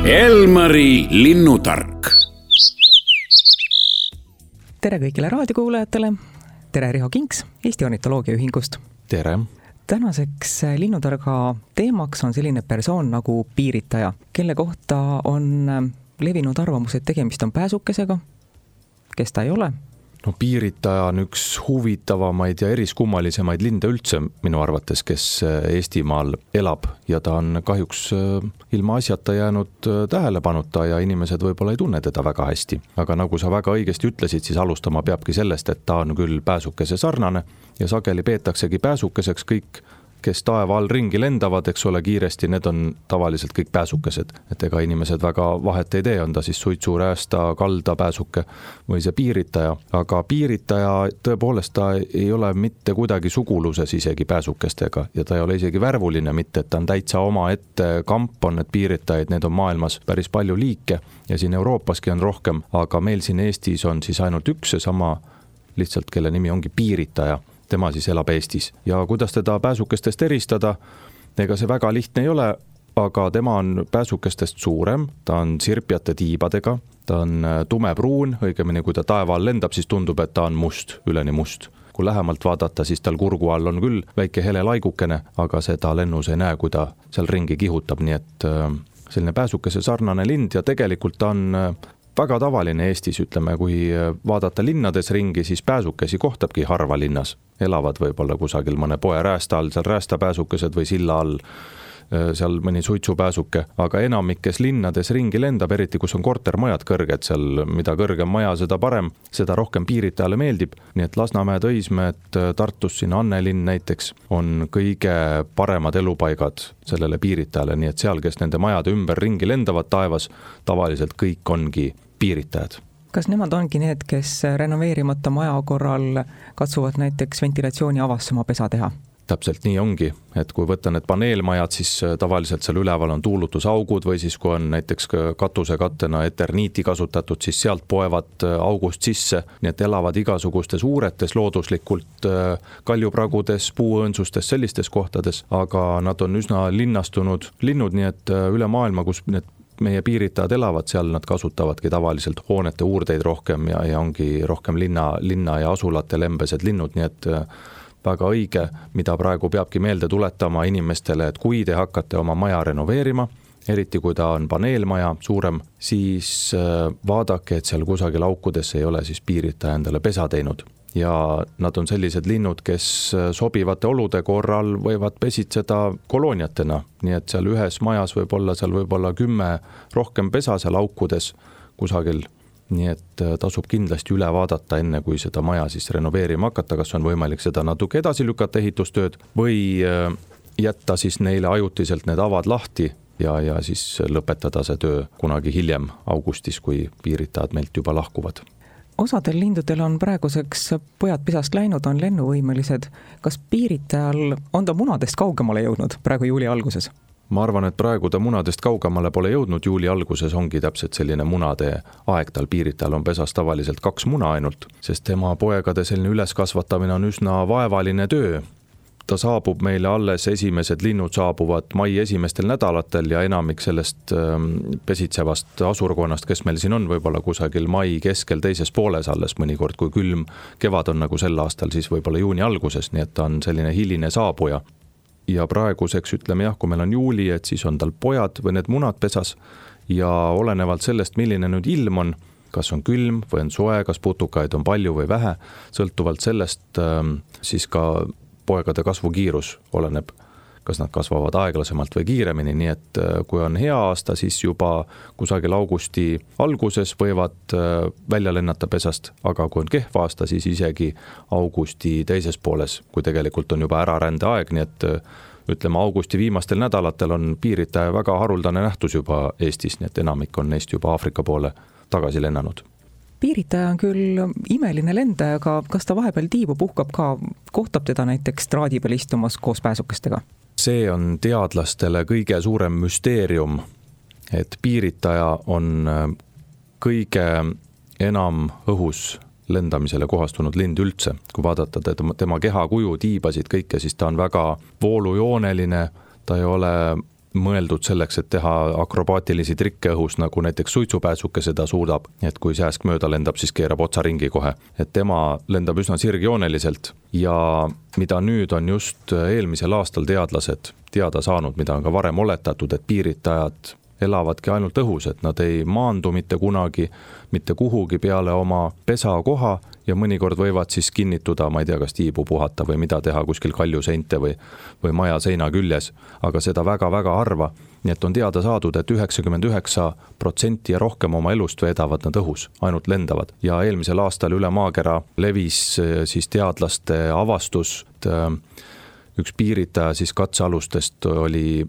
Elmari linnutark. Tere kõigile raadiokuulajatele. Tere Riho Kinks Eesti Ornitoloogiaühingust. Tere. Tänaseks linnutarga teemaks on selline persoon nagu piiritaja, kelle kohta on levinud arvamus, et tegemist on pääsukesega, kes ta ei ole. No piiritaja on üks huvitavamaid ja eriskummalisemaid linde üldse minu arvates, kes Eestimaal elab ja ta on kahjuks ilma asjata jäänud tähelepanuta ja inimesed võib-olla ei tunne teda väga hästi. Aga nagu sa väga õigesti ütlesid, siis alustama peabki sellest, et ta on küll pääsukese sarnane ja sageli peetaksegi pääsukeseks kõik, kes taeva all ringi lendavad, eks ole, kiiresti, need on tavaliselt kõik pääsukesed. Et ega inimesed väga vahet ei tee, on ta siis suitsu, räästa, kalda pääsuke või see piiritaja. Aga piiritaja tõepoolest ta ei ole mitte kuidagi suguluses isegi pääsukestega ja ta ei ole isegi värvuline, mitte et ta on täitsa oma ette kamp on need piiritajaid, need on maailmas päris palju liike ja siin Euroopaski on rohkem, aga meil siin Eestis on siis ainult üks seesama lihtsalt, kelle nimi ongi piiritaja. Tema siis elab Eestis ja kuidas teda pääsukestest eristada, ega see väga lihtne ei ole, aga tema on pääsukestest suurem, ta on sirpjate tiibadega, ta on tumepruun, õigemini kui ta taeva all lendab, siis tundub, et ta on must, üleni must. Kui lähemalt vaadata, siis tal kurgu all on küll väike hele laigukene, aga seda lennus ei näe, kui ta seal ringi kihutab, nii et selline pääsukese sarnane lind ja tegelikult ta on väga tavaline Eestis, ütleme, kui vaadata linnades ringi, siis pääsukesi kohtabki harva linnas. Elavad võib-olla kusagil mõne poe räästa all, seal räästapääsukesed või silla all, seal mõni suitsupääsuke, aga enamikes linnades ringi lendab, eriti kus on kortermajad kõrged, seal mida kõrgem maja, seda parem, seda rohkem piiritajale meeldib. Nii et Lasnamäed, Õismäed, Tartus siin Annelinn näiteks on kõige paremad elupaigad sellele piiritajale, nii et seal, kes nende majade ümber ringi lendavad taevas, tavaliselt kõik ongi piiritajad. Kas nemad ongi need, kes renoveerimata maja korral katsuvad näiteks ventilatsiooni avasse oma pesa teha? Täpselt nii ongi, et kui võtta need paneelmajad, siis tavaliselt seal üleval on tuulutusaugud või siis kui on näiteks katusekattena eterniiti kasutatud, siis sealt poevad august sisse, nii et elavad igasugustes uuretes looduslikult kaljupragudes, puuõõnsustes, sellistes kohtades, aga nad on üsna linnastunud linnud, nii et üle maailma, kus need meie piiritajad elavad, seal nad kasutavadki tavaliselt hoonete uurdeid rohkem ja ongi rohkem linna ja asulate lembesed linnud, nii et väga õige, mida praegu peabki meelde tuletama inimestele, et kui te hakkate oma maja renoveerima, eriti kui ta on paneelmaja suurem, siis vaadake, et seal kusagil aukudes ei ole siis piiritaja endale pesa teinud. Ja nad on sellised linnud, kes sobivate olude korral võivad pesitseda kolooniatena, nii et seal ühes majas võib olla 10 rohkem pesa seal aukudes kusagil, nii et tasub kindlasti üle vaadata enne, kui seda maja siis renoveerima hakata, kas on võimalik seda natuke edasi lükata ehitustööd või jätta siis neile ajutiselt need avad lahti ja siis lõpetada see töö kunagi hiljem augustis, kui piiritajad meilt juba lahkuvad. Osadel lindudel on praeguseks pojad pesast läinud, on lennuvõimelised. Kas piiritajal on ta munadest kaugemale jõudnud praegu juuli alguses? Ma arvan, et praegu ta munadest kaugemale pole jõudnud, juuli alguses ongi täpselt selline munade aeg, tal piiritajal on pesas tavaliselt 2 muna ainult, sest tema poegade selline üleskasvatamine on üsna vaevaline töö. Ta saabub meile alles, esimesed linnud saabuvad mai esimestel nädalatel ja enamik sellest pesitsevast asurkonnast, kes meil siin on võib-olla kusagil mai keskel teises pooles alles mõnikord, kui külm kevad on nagu sel aastal, siis võib-olla juuni alguses, nii et ta on selline hiline saabuja. Ja praeguseks ütleme jah, kui meil on juuli, et siis on tal pojad või need munad pesas ja olenevalt sellest, milline nüüd ilm on, kas on külm või on soe, kas putukaid on palju või vähe, sõltuvalt sellest siis ka poegade kasvukiirus oleneb, kas nad kasvavad aeglasemalt või kiiremini, nii et kui on hea aasta, siis juba kusagil augusti alguses võivad välja lennata pesast, aga kui on kehv aasta, siis isegi augusti teises pooles, kui tegelikult on juba ärarände aeg, nii et ütleme augusti viimastel nädalatel on piiritaja väga haruldane nähtus juba Eestis, nii et enamik on neist juba Aafrika poole tagasi lennanud. Piiritaja on küll imeline lendaja, aga kas ta vahepeal tiibu puhkab ka, kohtab teda näiteks traadi peal istumas koos pääsukestega? See on teadlastele kõige suurem müsteerium, et piiritaja on kõige enam õhus lendamisele kohastunud lind üldse. Kui vaadata tema kehakuju, tiibasid kõike, siis ta on väga voolujooneline, ta ei ole mõeldud selleks, et teha akrobaatilisi trikke õhus, nagu näiteks suitsupääsuke seda suudab, et kui sääsk mööda lendab, siis keerab otsa ringi kohe. Et tema lendab üsna sirgjooneliselt ja mida nüüd on just eelmisel aastal teadlased teada saanud, mida on ka varem oletatud, et piiritajad elavadki ainult õhus, et nad ei maandu mitte kunagi, mitte kuhugi peale oma pesakoha ja mõnikord võivad siis kinnituda, ma ei tea, kas tiibu puhata või mida teha kuskil kaljuseinte või maja seina küljes, aga seda väga-väga harva. Nii et on teada saadud, et 99% ja rohkem oma elust veedavad nad õhus, ainult lendavad. Ja eelmisel aastal üle maakera levis siis teadlaste avastus, üks piiritaja siis katsealustest oli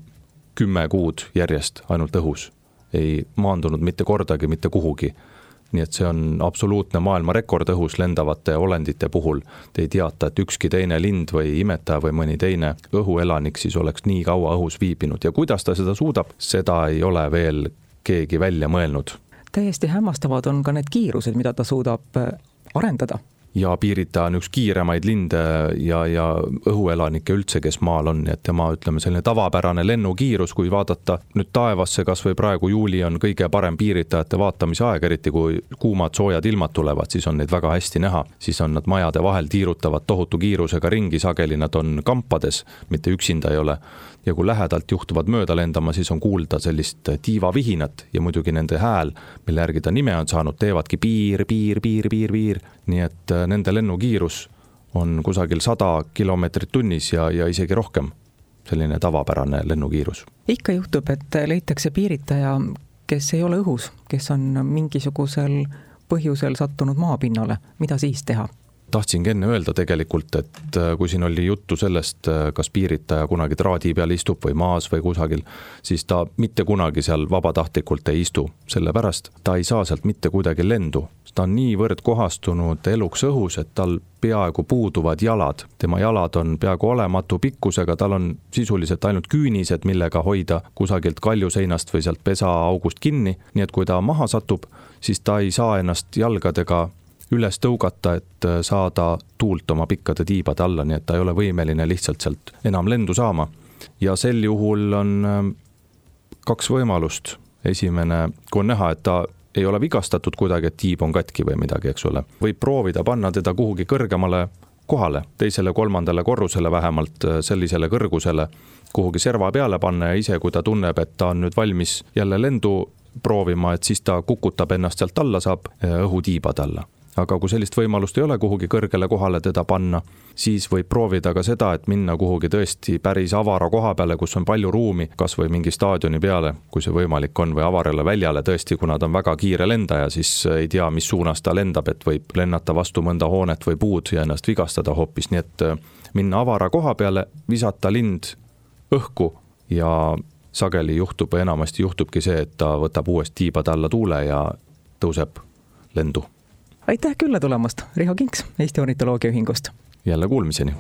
10 kuud järjest ainult õhus. Ei maandunud mitte kordagi, mitte kuhugi. Nii et see on absoluutne maailmarekord õhus lendavate olendite puhul. Te ei teata, et ükski teine lind või imetaja või mõni teine õhuelanik siis oleks nii kaua õhus viibinud. Ja kuidas ta seda suudab, seda ei ole veel keegi välja mõelnud. Täiesti hämmastavad on ka need kiirused, mida ta suudab arendada. Ja piiritaja on üks kiiremaid linde ja õhuelanikke üldse, kes maal on, et tema, ütleme, selline tavapärane lennukiirus, kui vaadata nüüd taevasse, kas või praegu juuli on kõige parem piiritajate vaatamise aeg, eriti kui kuumad soojad ilmad tulevad, siis on neid väga hästi näha. Siis on nad majade vahel tiirutavad tohutu kiirusega ringi, sageli nad on kampades, mitte üksinda ei ole. Ja kui lähedalt juhtuvad mööda lendama, siis on kuulda sellist tiivavihinat ja muidugi nende hääl, mille järgi ta nime on saanud, teevadki piir. Nii et nende lennukiirus on kusagil 100 kilomeetrit tunnis ja isegi rohkem, selline tavapärane lennukiirus. Ikka juhtub, et leitakse piiritaja, kes ei ole õhus, kes on mingisugusel põhjusel sattunud maapinnale. Mida siis teha? Tahtsingi enne öelda tegelikult, et kui siin oli juttu sellest, kas piiritaja kunagi traadi peal istub või maas või kusagil, siis ta mitte kunagi seal vabatahtlikult ei istu. Sellepärast ta ei saa sealt mitte kuidagi lendu. Ta on niivõrd kohastunud eluks õhus, et tal peaaegu puuduvad jalad. Tema jalad on peaaegu olematu pikkusega, tal on sisuliselt ainult küünised, millega hoida kusagilt kaljuseinast või sealt pesaaugust kinni. Nii et kui ta maha satub, siis ta ei saa ennast jalgadega üles tõugata, et saada tuult oma pikkade tiibade alla, nii et ta ei ole võimeline lihtsalt sealt enam lendu saama. Ja sel juhul on 2 võimalust. Esimene, kui on näha, et ta ei ole vigastatud kuidagi, et tiib on katki või midagi, eks ole. Võib proovida panna teda kuhugi kõrgemale kohale, 2., 3. korrusele vähemalt, sellisele kõrgusele, kuhugi serva peale panna ja ise, kui ta tunneb, et ta on nüüd valmis jälle lendu proovima, et siis ta kukutab ennast sealt alla, saab õhutiibad alla. Aga kui sellist võimalust ei ole kuhugi kõrgele kohale teda panna, siis võib proovida ka seda, et minna kuhugi tõesti päris avara koha peale, kus on palju ruumi, kas või mingi staadioni peale, kui see võimalik on, või avarale väljale tõesti, kuna ta on väga kiire lendaja, siis ei tea, mis suunas ta lendab, et võib lennata vastu mõnda hoonet või puud ja ennast vigastada hoopis. Nii et minna avara koha peale, visata lind õhku ja sageli juhtub, enamasti juhtubki see, et ta võtab uuesti tiibade alla tuule ja tõuseb lendu. Aitäh külla tulemast, Riho Kinks Eesti Ornitoloogia Ühingust. Jälle kuulmiseni.